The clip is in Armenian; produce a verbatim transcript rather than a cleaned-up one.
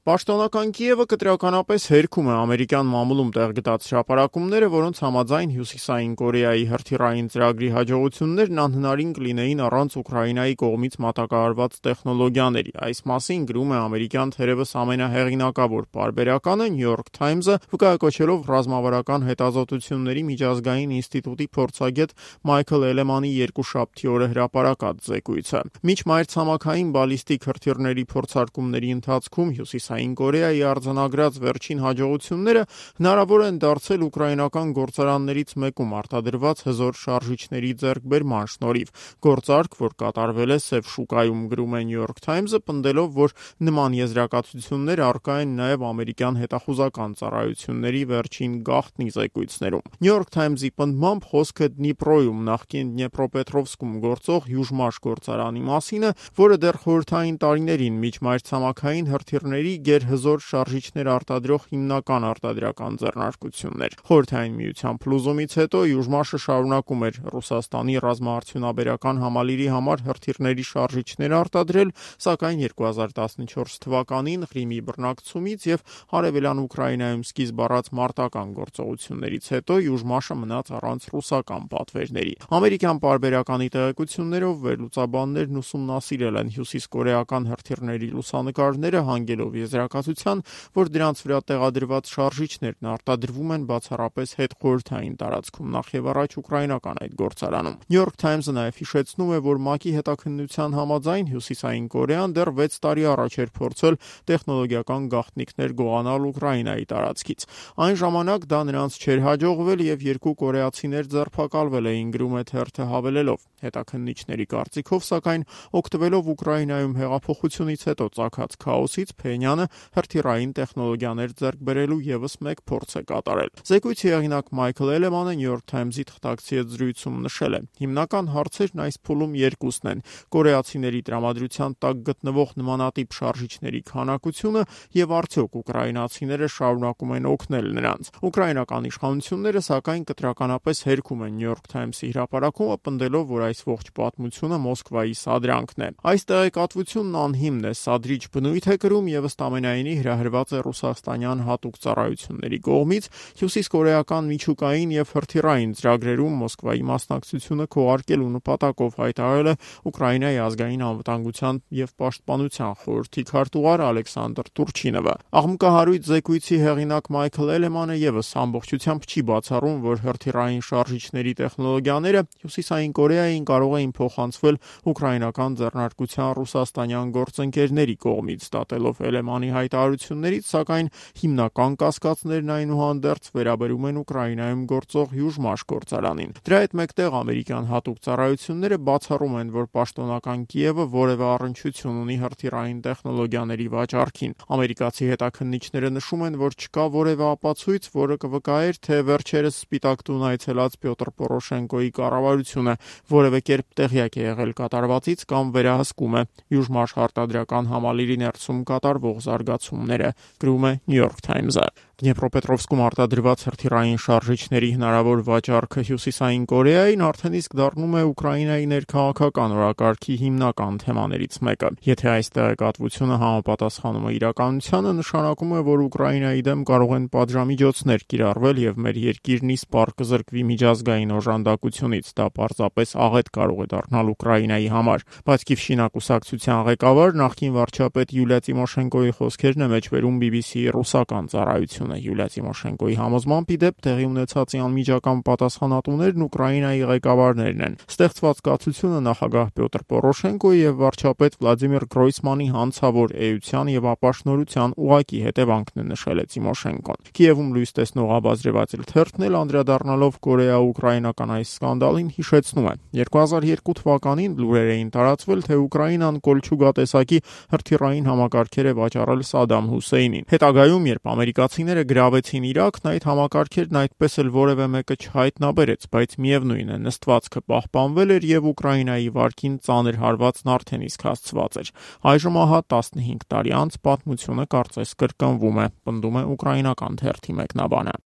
Պաշտոնական Կիևը կտրականապես հերքում է ամերիկյան մամուլում տեղ գտած հրապարակումները, որոնց համաձայն Հյուսիսային Կորեայի հրթիռային ծրագրի հաջողություններն անհնարին կլինեին առանց Ուկրաինայի կողմից մատակարարված տեխնոլոգիաների։ Այս մասին գրում է ամերիկյան թերևս ամենահեղինակավոր պարբերականը New York Times-ը, վկայակոչելով ռազմավարական հետազոտությունների միջազգային ինստիտուտի փորձագետ Մայքլ Էլեմանի երկուշաբթի օրը հրապարակած զեկույցը։ Միջմայրցամաքային բալիստիկ հրթիռների փորձարկումների ընթացքում Հյուսիսային Կորեայի արձանագրած վերջին հաջողությունները հնարավոր են դարձել ուկրաինական գործարաններից մեկում արտադրված հզոր շարժիչների ձեռքբերման շնորհիվ։ Գործարք, որ կատարվել է Սև շուկայում, գրում է New York Times-ը, պնդելով, որ նման եզրակացություններ առկա են նաև ամերիկյան հետախուզական ծառայությունների վերջին գաղտնի զեկույցներում։ New York Times-ի պնդմամբ խոսքը Դնիպրոյում, նախկին Դնեպրոպետրովսկում գործող Հյուժմաշ գործարանի մասին է, որը դեռ խորհրդային տարիներին միջմայրցամաքային հրթիռների գերհզոր շարժիչներ արտադրող հիմնական արտադրական ձեռնարկությունն էր։ Խորհրդային Միության փլուզումից հետո Հյուժմաշը շարունակում էր Ռուսաստանի ռազմաարդյունաբերական համալիրի համար հրթիռների շարժիչներ արտադրել, սակայն երկու հազար տասնչորս թվականին Ղրիմի բռնակցումից եւ Արևելյան Ուկրաինայում սկիզբ առած մարտական գործողություններից հետո Հյուժմաշը մնաց առանց ռուսական պատվերների։ Ամերիկյան պարբերականի տեղեկություններով վերլուծաբաններն ուսումնասիրել են հյուսիսկորեական հրթիռների լուսանկարները, հանգելով եզրակացության, որ դրանց վրա տեղադրված շարժիչներն արտադրվում են բացառապես հետխորհրդային տարածքում, նախ եւ առաջ ուկրաինական այդ գործարանում։ New York Times-ը նաև հիշեցնում է, որ ՄԱԿ-ի հետաքննության համաձայն Հյուսիսային Կորեան դեռ վեց տարի առաջ էր փորձել տեխնոլոգիական գաղտնիքներ գողանալ Ուկրաինայի տարածքից։ Այն ժամանակ դա նրանց չէր հաջողվել եւ երկու կորեացիներ ձերբակալվել էին, գրում է թերթը հավելելով։ Հետաքննիչների կարծիքով, սակայն, օգտվելով Ուկրաինայում հեղափոխությունից հետո ծագած քաոսից, Փենյանը հրթիռային տեխնոլոգիաներ ձեռք բերելու ևս մեկ փորձ է կատարել։ Զեկույցի հեղինակ Մայքլ Էլեմանը New York Times-ի թղթակցի հետ զրույցում նշել է. հիմնական հարցերն այս փուլում երկուսն են՝ կորեացիների տրամադրության տակ գտնվող նմանատիպ շարժիչների քանակությունը եւ արդյոք ուկրաինացիները շարունակում են օգնել նրանց։ Ուկրաինական իշխանությունները, սակայն, կտրականապես հերքում են New York Times-ի հրապարակումը, պնդելով, որ այս ողջ պատմությունը Մոսկվայի սադրանքն է։ Այս տեղեկատվությունն անհիմն է, սադրիչ բնույթ է կրում եւ ըստ ամենայնի հրահրված է ռուսաստանյան հատուկ ծառայությունների կողմից հյուսիսկորեական միջուկային եւ հրթիռային ծրագրերում Մոսկվայի մասնակցությունը քողարկելու նպատակով, հայտարարել է Ուկրաինայի ազգային անվտանգության եւ պաշտպանության խորհրդի քարտուղար Ալեքսանդր Տուրչինովը։ Աղմկահարույց զեկույցի հեղինակ Մայքլ Էլեմանը եւս ամբողջությամբ չի բացառում, որ հրթիռային շարժիչների տեխնոլոգիաները Հյուսիսային Կորեային կարող էին փոխանցվել ուկրաինական ձեռնարկության ռուսաստանյան գործընկերների կողմից, դատելով Էլեմանի հայտարարություններից, սակայն հիմնական կասկածներն այնուհանդերձ վերաբերում են Ուկրաինայում գործող Հյուժմաշ գործարանին։ Դրա հետ մեկտեղ ամերիկյան հատուկ ծառայությունները բացառում են, որ պաշտոնական Կիևը որևէ առնչություն ունի հրթիռային տեխնոլոգիաների վաճառքին։ Ամերիկացի հետաքննիչները նշում են, որ չկա որևէ ապացույց, որը կվկայեր, թե վերջերս Սպիտակ տուն այցելած Պյոտր Պորոշենկոյի կառավարությունը որևէ կերպ տեղյակ է եղել կատարվածից կամ վերահսկում է Հյուժմաշ արտադրական համալիրի ներսում կատարվող զարգացումները, գրում է New York Times-ը։ Դնեպրոպետրովսկում արտադրված հրթիռային շարժիչների հնարավոր վաճառքը Հյուսիսային Կորեային արդեն իսկ դառնում է Ուկրաինայի ներքաղաքական օրակարգի հիմնական թեմաներից մեկը։ Եթե այս տեղեկատվությունը համապատասխանում է իրականությանը, նշանակում է, որ Ուկրաինայի դեմ կարող են պատժամիջոցներ կիրառվել եւ մեր երկիրն իսպառ կզրկվի միջազգային օժանդակությունից։ Դա պարզապես աղետ կարող է դառնալ Ուկրաինայի համար։ Բայց Կիվշինա կուսակցության ղեկավար, նախկին վարչապետ Յուլիա Տիմոշենկոյի խոսքերն է մեջբերում բի բի սի-ի ռուսական ծառայությունը։ Յուլիա Տիմոշենկոյի համոզմամբ, ի դեպ, տեղի ունեցած անմիջական պատասխանատուներն Ուկրաինայի ղեկավարներն են։ Ստեղծված կացությունը նախագահ Պյոտր Պորոշենկոյի եւ վարչապետ Վլադիմիր Գրոյսմանի հանցավոր էության եւ ապաշնորհության ուղղակի հետևանքն է, նշել է Տիմոշենկոն։ Կիևում լույս տեսնող Abazrevatelь թերթն էլ անդրադառնալով կորեա-ուկրաինական այս սկանդալին հիշեցնում է. երկու հազար երկու թվականին լուրեր էին տարածվել, թե Ուկրաինան Կոլչուգա տեսակի հրթիռային համակարգեր է վաճառել Սադամ Հուսեյնին։ Հետագայում, երբ ամերիկացիները գրավեցին Իրաքն, այդ համակարգերն այդպես էլ որևէ մեկը չհայտնաբերեց, բայց միևնույն է, նստվածքը պահպանվել էր եւ Ուկրաինայի վարկին ծանր հարվածն արդեն իսկ հասցված էր։ Այժմ ահա տասնհինգ տարի անց պատմությունը կարծես կրկնվում է, պնդում է ուկրաինական թերթի մեկնաբանը։